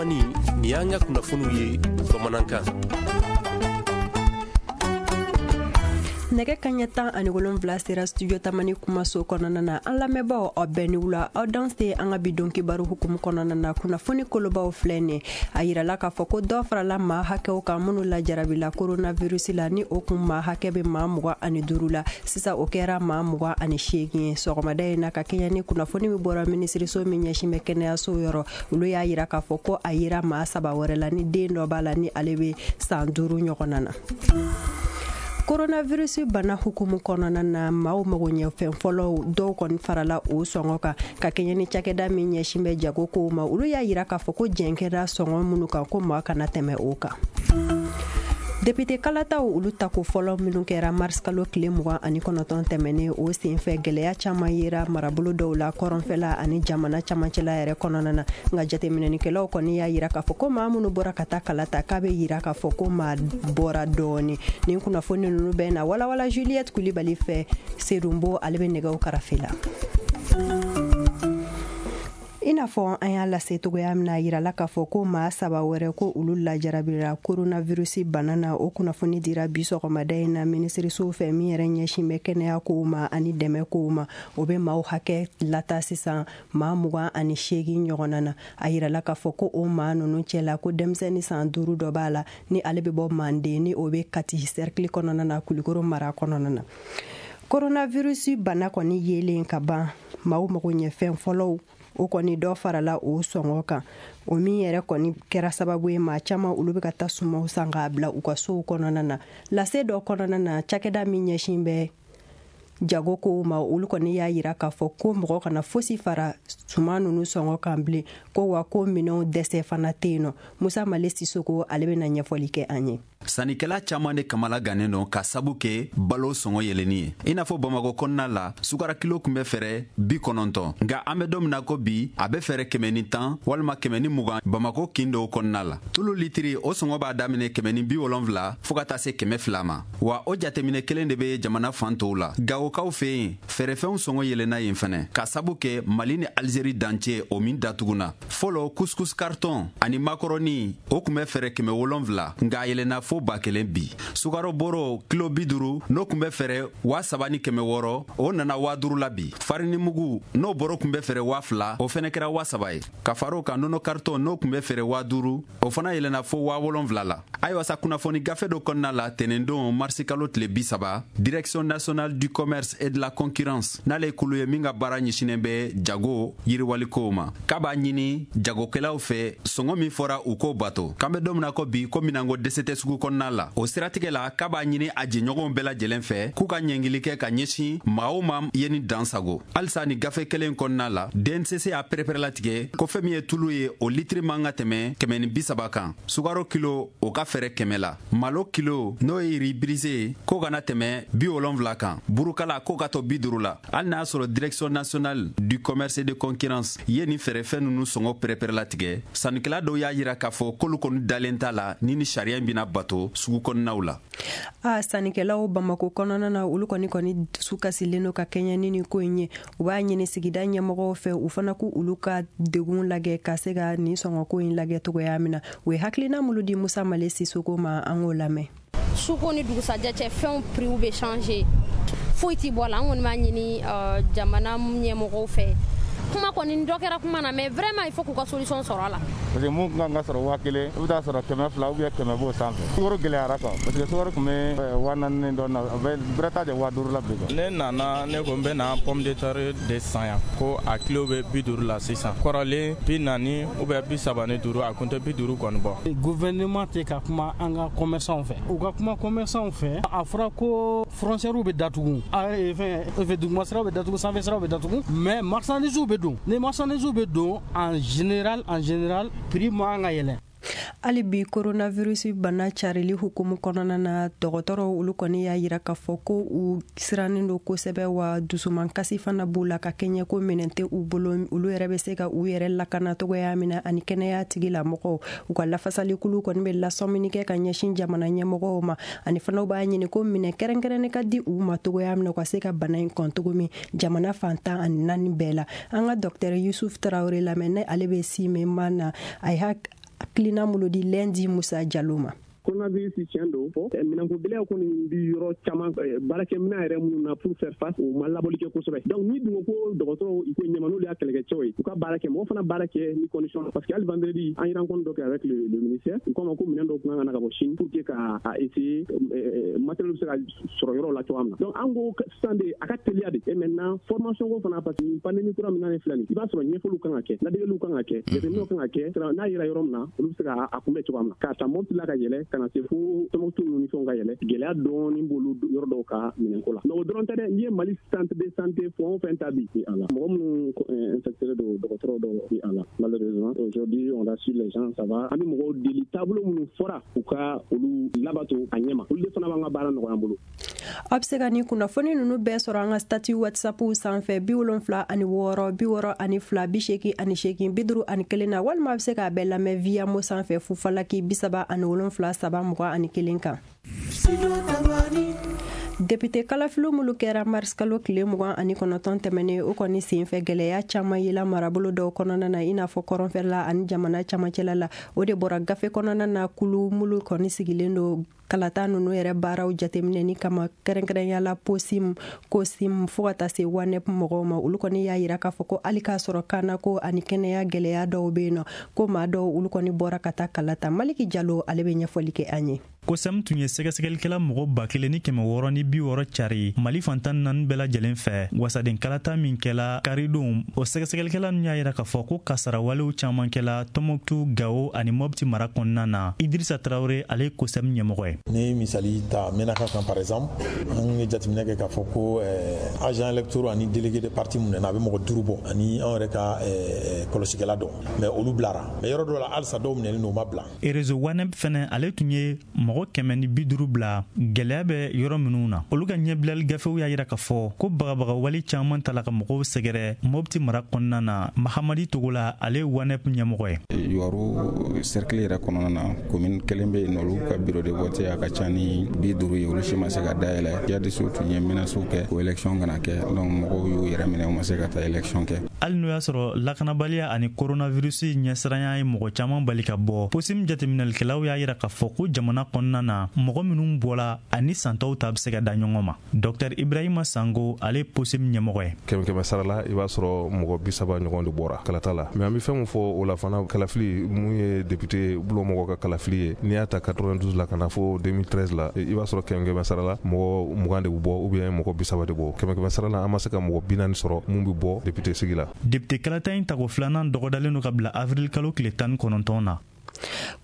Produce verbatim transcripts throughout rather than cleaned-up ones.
Tamani, nin y'an ka kunnafoniw ye bamanankan. Nɛgɛ kaɲɛ tan ani wolonfila sera studio Tamani kumaso kɔnɔna na. An lamɛnbaaw, aw bɛɛ ni wula, aw danse an ka bi don kibaru hukumu kɔnɔna na. Kunnafoni kolobaw filɛ nin. A yirala k'a fɔ ko dɔ farala maa hakɛw kan minnu lajarabila coronavirus la, ni o kun maa hakɛ bɛ maa mugan ani duuru la, sisan o kɛra maa mugan ani seegin ye sɔgɔmada in na, ka kɛɲɛ ni kunnafoni min bɔra minisiriso min ɲɛsin bɛ kɛnɛyaso yɔrɔ. Olu y'a yira k'a fɔ ko a yira maa saba wɛrɛ la, ni den dɔ b'a la ni ale bɛ san duuru ɲɔgɔnna na. Coronavirus bana hukumu kɔnɔna na, maaw mago ɲɛfɛn fɔlɔw dɔw kɔni farala o sɔngɔ kan, ka kɛɲɛ ni cakɛda min ɲɛsin bɛ jago kow ma. Olu y'a yira k'a fɔ ko jɛn kɛra sɔngɔ minnu kan, ko maa kana tɛmɛ o kan. Député kalataw, olu tako fɔlɔ minnu kɛra mars kalo tile mugan ani kɔnɔntɔn tɛmɛnen, o senfɛ gɛlɛya caman yera marabolo dɔw la kɔrɔnfɛla ani jamana camancɛla yɛrɛ kɔnɔna na. Nka jateminɛnikɛlaw kɔni y'a yira k'a fɔ ko maa minnu bɔra ka taa kala ta, k'a bɛ yira k'a fɔ ko maa bɔra dɔɔni. Nin kunnafoni ninnu bɛ na walawala Juliette Kulibali fɛ. Serunbo, ale bɛ nɛgɛw karafe la. I n'a fɔ an y'a lase togoya min na, yirala k'a fɔ ko maa saba wɛrɛ, ko olu lajarabira coronavirus bana na. O kunnafoni dira bi sɔgɔmada in na minisiriso fɛ min yɛrɛ ɲɛsin bɛ kɛnɛya kow ma ani dɛmɛ kow ma. O bɛ maaw hakɛ lata sisan maa mugan ani seegin ɲɔgɔnna na. A yirala k'a fɔ ko o maa ninnu cɛla, ko denmisɛnnin san duuru dɔ b'a la, ni ale bɛ bɔ Manden, ni o bɛ Kati cercle kɔnɔna na, Kulikoro mara kɔnɔna na. Coronavirus bana kɔni yelen ka ban, maaw mago ɲɛfɛn fɔlɔw, o kɔni dɔ farala o sɔngɔ kan, o min yɛrɛ kɔni kɛra sababu ye maa caman olu bɛ ka taa sumaw san k'a bila u ka sow kɔnɔna na. Lase dɔ kɔnɔna na, cakɛda min ɲɛsin bɛ jago kow ma, olu kɔni y'a yira k'a fɔ ko mɔgɔ kana fosi fara suman ninnu sɔngɔ kan bilen, ko wa ko minɛnw dɛsɛ fana tɛ yen nɔ. Musa Male Sisoko, ale bɛna ɲɛfɔli kɛ an ye. Sannikɛla caaman de kamala gannen don ka sabu kɛ balo sɔngɔ yɛlɛni ye. I n'a fɔ Bamakɔ kɔnɔna la, sukara kilo kun bɛ fɛrɛ bi kɔnɔntɔn, nka an bɛ don min na ko bi, a bɛ fɛrɛ kɛmɛ ni tan walima kɛmɛ ni mugan. Bamakɔ kin dɔw kɔnɔna la, tulu litiri, o sɔngɔ b'a daminɛ kɛmɛ ni bi wolonfila fɔɔ ka taa se kɛmɛ fila ma. Wa o jateminɛ kelen de be jamana fan tɔw la. Gawokaw fɛ yen, fɛɛrɛfɛnw sɔngɔ yɛlɛnna yen fɛnɛ, ka sabu kɛ Mali ni Alizeri dancɛ o min datuguna. Fɔlɔ, couscous carton ani makɔrɔni, o kun bɛ fɛrɛ kɛmɛ wolonfila, nka a yɛlɛnna fo ba kelen bi. Sukaro bɔrɔ kilo bi duuru, n'o kun bɛ fɛrɛ waa saba ni kɛmɛ wɔɔrɔ, o nana waa duuru la bi. Farini mugu, n'o bɔrɔ kun bɛ fɛrɛ waa fila, o fɛnɛ kɛra waa saba ye. Ka far'o kan, nɔnɔ carton, n'o kun bɛ fɛrɛ waa duuru, o fana yɛlɛnna fo waa wolonfila la. Ayiwa sa, kunnafoni gafe dɔ kɔnɔna la tɛnɛndon marisi kalo tile bi saba, Direction nationale du commerce et de la concurrence, n'ale ye kulu ye min ka baara ɲɛsinen bɛ jago yiriwalikow ma, k'a b'a ɲini jagokɛlaw fɛ, sɔngɔ min fɔra, u k'o bato. K'an bɛ don min na ko bi, ko minanko dɛsɛ tɛ sugu kɔnɔna la. O siratigɛ la, k'a b'a ɲini a jɛɲɔgɔnw bɛɛ lajɛlen fɛ k'u ka ɲɛngili kɛ ka ɲɛsin maa o maa ye ni dan sago. Halisa ni gafe kelen kɔnɔna la, D N C C y'a pɛrɛpɛrɛlatigɛ ko fɛn min ye tulu ye, o litiri man ka tɛmɛ kɛmɛ ni bi saba kan. Sukaro kilo, o ka fɛrɛ kɛmɛ la. Malo kilo, n'o ye riz brisé ye, k'o kana tɛmɛ bi wolonfila kan. Burukala, k'o ka to bi duuru la. Hali n'a sɔrɔ Direction nationale du commerce et de concurrence ye nin fɛɛrɛfɛn ninnu sɔngɔ pɛrɛpɛrɛlatigɛ, sannikɛla dɔw y'a yira k'a fɔ k'olu kɔni dalen t'a la ni ni sariya in bɛna bato sugu kɔnɔnaw la. A sannikɛlaw Bamako kɔnɔna na, olu kɔni kɔni dusu kasilen don ka kɛɲɛ ni nin ko in ye. U b'a ɲini sigida ɲɛmɔgɔw fɛ, u fana k'u olu ka degun lajɛ ka se ka nin sɔngɔko in lajɛ togoya min na. U ye hakilina minnu di Musa Male Sisoko ma, an k'o lamɛn. Suko ni dugusajɛ cɛ, fɛnw prix bɛ changer, foyi ti bɔ a la. An kɔni b'a ɲini jamana ɲɛmɔgɔw fɛ, kuma kɔni dɔ kɛra kuma na, mais vraiment il faut k'u ka solution sɔrɔ a la. Parce que mun kan ka sɔrɔ waa kelen, i bɛ taa sɔrɔ kɛmɛ fila ou bien kɛmɛ b'o sanfɛ. Sukaro gɛlɛyara quoi, parce que sukaro tun bɛ waa naani dɔ na, a bɛ bɛrɛ t'a jɛ waa duuru la bi quoi. Ne nana, ne ko n bɛ na pomme de terre de san yan, ko a kilo bɛ bi duuru la sisan. Kɔrɔlen bi naani ou bien bi saba ni duuru, a kun tɛ bi duuru kɔni bɔ. Gouvernement tɛ ka kuma an ka commerçant fɛ, u ka kuma commerçant fɛ. A fɔra ko frontière bɛ datugu, fɛn fɛn, duguma siraw bɛ datugu, sanfɛ siraw bɛ datugu, mais marchandise bɛ don. Ni marchandise bɛ don, en général en général prix man ka yɛlɛn. Hali bi coronavirus bana carili hukumu kɔnɔna na, dɔgɔtɔrɔw olu kɔni y'a yira k'a fɔ ko u sirannen don kosɛbɛ, wa dusumankasi fana b'u la, ka kɛɲɛ ko minɛn tɛ u bolo olu yɛrɛ bɛ se ka u yɛrɛ lakana togoya min na ani kɛnɛya tigilamɔgɔw. U ka lafasalikulu kɔni bɛ lasɔmini kɛ ka ɲɛsin jamana ɲɛmɔgɔw ma, ani fana b'a ɲini ko minɛn kɛrɛnkɛrɛnnen ka di u ma togoya min na, u ka se ka bana in kɔn cogo min jamana fantan ani naani bɛɛ la. An ka docteur Yusuf Tarawele lamɛn, ne ale bɛ Sime na, a ye. hakilina minnu di Lundi Musa Jalo ma. Coronavirus tiɲɛ don fɔ minɛnko gɛlɛya kɔni bi yɔrɔ caman baarakɛminɛn yɛrɛ minnu na pour faire face u ma labɔli kɛ kosɛbɛ. Donc ni dun ko dɔgɔtɔrɔw i ko ɲɛma n'olu y'a kɛlɛkɛcɛw ye u ka baara kɛ, mɔgɔ fana baara kɛ ni condition, parce que hali vendredi an ye rencontre dɔ kɛ avec le, le ministère, u k'a ma ko minɛn dɔw kun kan ka na ka bɔ Chine pour que ka a essayer matériel bɛ se ka sɔrɔ yɔrɔ la cogoya min na. Donc an ko sisan de a ka teliya de. Et maintenant formation ko fana, parce que pandémie kura min na filɛ nin, i b'a sɔrɔ ɲɛfɔliw kan ka kɛ, ladegeliw kan ka kɛ, jateminɛw kan ka kɛ, n'a yera yɔrɔ min na olu bɛ se ka a kunbɛn cogoya min na, k'a ta Mopti la ka yɛlɛ kana se fo Tɔnbukutu ninnu ni fɛnw ka yɛlɛ, gɛlɛya dɔɔni b'olu yɔrɔ dɔw ka minɛnko la. Mais o dɔrɔn tɛ dɛ, n'i ye Mali centre de santé fɛn o fɛn ta bi a la, mɔgɔ minnu infecté don dɔgɔtɔrɔ dɔw bi a la. Malheureusement aujourd'hui on rassure les gens, ça va. An bɛ mɔgɔw deli taabolo minnu fɔra u ka olu labato a ɲɛma, olu de fana b'an ka baara nɔgɔya an bolo. Aw bɛ se ka nin kunnafoni ninnu bɛɛ sɔrɔ an ka statut WhatsApp sanfɛ bi wolonfila ani wɔɔrɔ bi wɔɔrɔ ani fila bi seegin ani seegin bi duuru ani kelen na, walima a bɛ se k'a bɛɛ lamɛn via mo sanfɛ fufalaki bi saba ani wolonfila saba mugan ani kelen kan. Député kalafiliw minnu kɛra mars kalo tile mugan ani kɔnɔntɔn tɛmɛnen, o kɔni senfɛ gɛlɛya caman yela marabolo dɔw kɔnɔna na, i n'a fɔ kɔrɔnfɛla ani jamana camancɛla la. O de bɔra gafe kɔnɔna na kulu minnu kɔni sigilen don kalata ninnu yɛrɛ baaraw jateminɛni kama, kɛrɛnkɛrɛnya la POSIM, COSIM fo ka taa se WANEP mɔgɔw ma. Olu kɔni y'a yira k'a fɔ ko hali k'a sɔrɔ kannako ani kɛnɛya gɛlɛya dɔw bɛ yen nɔ, ko maa dɔw olu kɔni bɔra ka taa kalata. Maliki Jalo ale bɛ ɲɛfɔli kɛ an ye. COSEM tun ye sɛgɛsɛgɛlikɛla mɔgɔ ba kelen ni kɛmɛ wɔɔrɔ ni bi wɔɔrɔ cari Mali fantan naani bɛɛ lajɛlen fɛ wasaden kalata min kɛla karidon. O sɛgɛsɛgɛlikɛla ninnu y'a yira k'a fɔ ko kasarawalew caman kɛla Tɔnbukutu, Gawo ani Mopti mara kɔnɔna na. Idrissa Traoré ale ye COSEM ɲɛmɔgɔ ye. Ni misali ta Menaka kan par exemple, an ye jateminɛ kɛ k'a fɔ ko agent électoral ani délégué de parti mun nana a bɛ mɔgɔ duuru bɔ ani anw yɛrɛ ka kɔlɔsikɛla dɔ, mais olu bilara, mais yɔrɔ dɔw la halisa dɔw minɛlen don u ma bila. Réseau WANEP fɛnɛ ale tun ye mɔgɔ kɛmɛ ni bi duuru bila gɛlɛya bɛ yɔrɔ minnu na. Olu ka ɲɛbilali gafew y'a yira k'a fɔ ko bagabagawale caman tala ka mɔgɔw sɛgɛrɛ Mopti mara kɔnɔna na. Mahamadi Togola ale ye WANEP ɲɛmɔgɔ ye. Yuwaru cercle yɛrɛ kɔnɔna na, commune kelen bɛ yen, olu ka bureau de vote a ka ca ni bi duuru ye, olu si ma se ka dayɛlɛ. Jihadistes tun ye menaces kɛ ko élection kana kɛ, donc mɔgɔw y'u yɛrɛ minɛ, u ma se ka taa élection kɛ. Hali n'o y'a sɔrɔ lakanabaliya ani coronavirus ɲɛsiranya ye mɔgɔ caman bali ka bɔ, POSIM jateminɛlikɛlaw y'a yira k'a fɔ ko jamana kɔnɔna na mɔgɔ minnu bɔla ani santaw ta bɛ se ka da ɲɔgɔn ma. Docteur Ibrahima Sango ale ye POSIM ɲɛmɔgɔ ye. Kɛmɛ kɛmɛ sara la, i b'a sɔrɔ mɔgɔ bi saba ɲɔgɔn de bɔra kalata la. Mais an bɛ fɛn min fɔ o la fana, kalafili mun ye député bulon mɔgɔ ka kalafili ye, n'i y'a ta quatre-vingt-douze la ka na fo deux mille treize la, i b'a sɔrɔ kɛmɛ kɛmɛ sara la mɔgɔ mugan de bɛ bɔ ou bien mɔgɔ bi saba de bɔ. Kɛmɛ kɛmɛ sara la an ma se ka mɔgɔ bi naani sɔrɔ mun bɛ bɔ député sigi la. Député kalata in tako filanan dɔgɔdalen don ka bila avril kalo tile tan ni kɔnɔntɔn na.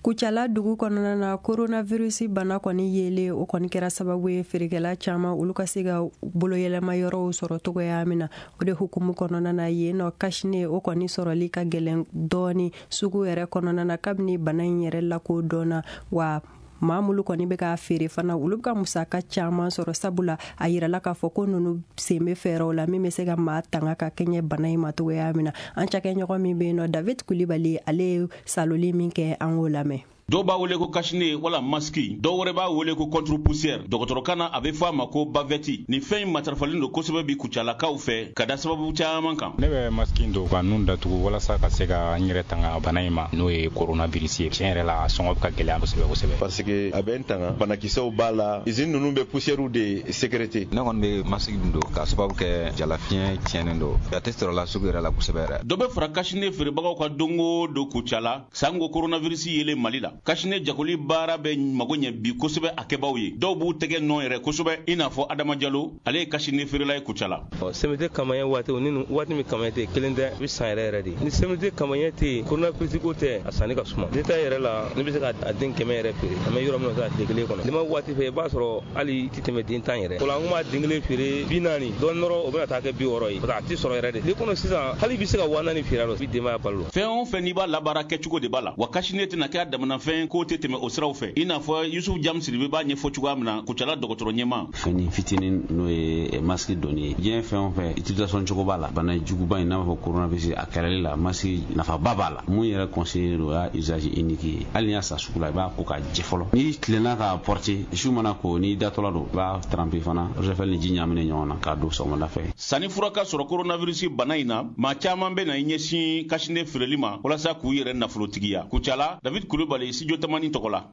Kucala dugu kɔnɔna na, coronavirus bana kɔni yelen o kɔni kɛra sababu ye feerekɛla caman olu ka se ka boloyɛlɛma yɔrɔw sɔrɔ cogoya min na. O de hukumu kɔnɔna na yen nɔ cache-nez o kɔni sɔrɔli ka gɛlɛn dɔɔni sugu yɛrɛ kɔnɔna na kabini bana in yɛrɛ lakodɔnna. Wa maa minnu kɔni bɛ k'a feere fana olu bɛ ka musaka caman sɔrɔ, sabula a yirala k'a fɔ ko ninnu sen bɛ fɛɛrɛw la min bɛ se ka maa tanga ka kɛɲɛ bana in ma cogoya min na. An cakɛɲɔgɔn min bɛ yen nɔ David Kulibali ale ye saloli min kɛ, an k'o lamɛn. Dɔw b'a wele ko cache-nez wala masque, dɔw wɛrɛ b'a wele ko contre-poussière. Dɔgɔtɔrɔkan na a bɛ fɔ a ma ko bavette. Nin fɛn in matarafalen don kosɛbɛ bi Kucalakaw fɛ ka da sababu caman kan. Ne bɛ masque in don ka nun datugu walasa ka se ka n yɛrɛ tanga bana in ma, n'o ye coronavirus ye. Tiɲɛ yɛrɛ la a sɔngɔ bɛ ka gɛlɛya kosɛbɛ kosɛbɛ. Parce que a bɛ n tanga, banakisɛw b'a la, usine ninnu bɛ poussière de sécréter. Ne kɔni bɛ masque in don k'a sababu kɛ jalafiɲɛ tiɲɛnen don, a tɛ sɔrɔ la sugu yɛrɛ la kosɛbɛ yɛrɛ. Dɔ bɛ fara cache-nez feerebagaw ka don o don Kucala sango coronavirus yelen Mali la. Cache-nez jagoli baara bɛ mago ɲɛ bi kosɛbɛ a kɛbaw ye. Dɔw b'u tɛgɛ nɔ yɛrɛ kosɛbɛ, i n'a fɔ Adama Jalo, ale ye cache-nez feerela ye Kucala. C M T campagne waati ni waati min campagne tɛ kelen tɛ, i bɛ san yɛrɛ yɛrɛ de. Ni C M T campagne tɛ yen, coronavirus ko tɛ, a sanni ka suma. Ne ta yɛrɛ la, ne bɛ se ka a den kɛmɛ yɛrɛ feere. An bɛ yɔrɔ min na sisan tile kelen kɔnɔ. N'i ma waati fɛ, i b'a sɔrɔ hali i tɛ tɛmɛ den tan yɛrɛ. O la an kun b'a den kelen feere bi naani, dɔɔnin dɔrɔn o bɛna taa kɛ bi wɔɔrɔ ye. Parce que a tɛ sɔrɔ yɛrɛ de. N'i kɔnɔ sisan, hali i bɛ se ka waa naani feere a la, i bɛ denbaya balo. Fɛn o fɛn n'i b'a labaara kɛcogo de b'a la. Wa cache-nez tɛna kɛ a damana bolimafɛn k'o tɛ tɛmɛ o siraw fɛ, i n'a fɔ Yusuf Jam Sidibe b'a ɲɛfɔ cogoya min na Kucala dɔgɔtɔrɔ ɲɛmaa. Fɛn fitinin n'o ye masque donni ye, diɲɛ fɛn o fɛn utilisation cogo b'a la. Bana juguba in n'a b'a fɔ coronavirus, a kɛlɛli la masque nafaba b'a la. Mun yɛrɛ conseillé don, o y'a usage unique ye. Hali n'i y'a san sugu la, i b'a ko k'a jɛ fɔlɔ. N'i tilenna k'a porter, su mana ko n'i datɔla don, i b'a tremper fana eau de javel ni ji ɲagaminen ɲɔgɔn na k'a don sɔgɔmada fɛ. Sanni fura ka sɔrɔ coronavirus bana in na, maa caman bɛ na i ɲɛsin cache-nez feereli ma walasa k'u yɛrɛ nafolotigiya. Kucala, David Kulubali, Studio Tamani tɔgɔ la.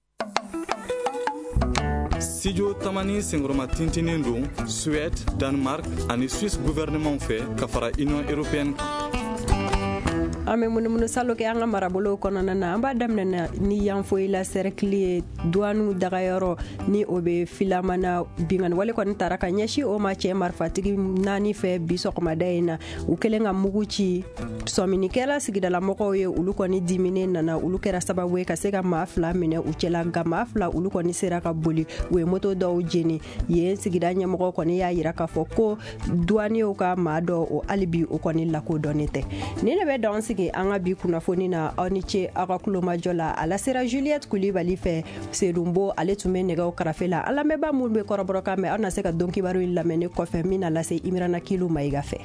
Studio Tamani senkɔrɔma tintinen don Suède, Danemark ani Suisse gouvernement fɛ ka fara Union européenne kan. An bɛ munumunu salo kɛ an ka marabolow kɔnɔna na. An b'a daminɛ ni Yanfoyila cercle ye, duwaniw dagayɔrɔ ni o bɛ Filamana. Binkanni wale kɔni taara ka ɲɛsin o ma cɛ marifatigi naani fɛ bi sɔgɔmada in na. U kɛlen ka mugu ci, sɔminikɛla sigidalamɔgɔw ye, olu kɔni diminen nana, olu kɛra sababu ye ka se ka maa fila minɛ u cɛla, nka maa fila olu kɔni sera ka boli. U ye moto dɔw jeni. Yen sigida ɲɛmɔgɔ kɔni y'a yira k'a fɔ ko duwaniw ka maa dɔ o hali bi o kɔni lakodɔnnen tɛ. Nin de bɛ dan sigi an ka bi kunnafoni na. Aw ni ce aw ka kulomajɔ la. A lasera Juliette Kulibali fɛ. Sedunbo ale tun bɛ nɛgɛw karafe la. An lamɛnbaa minnu bɛ kɔrɔbɔrɔkan mɛn, aw na se ka don kibaru in lamɛn ne kɔfɛ min na lase Imirana Kilu Mayiga fɛ.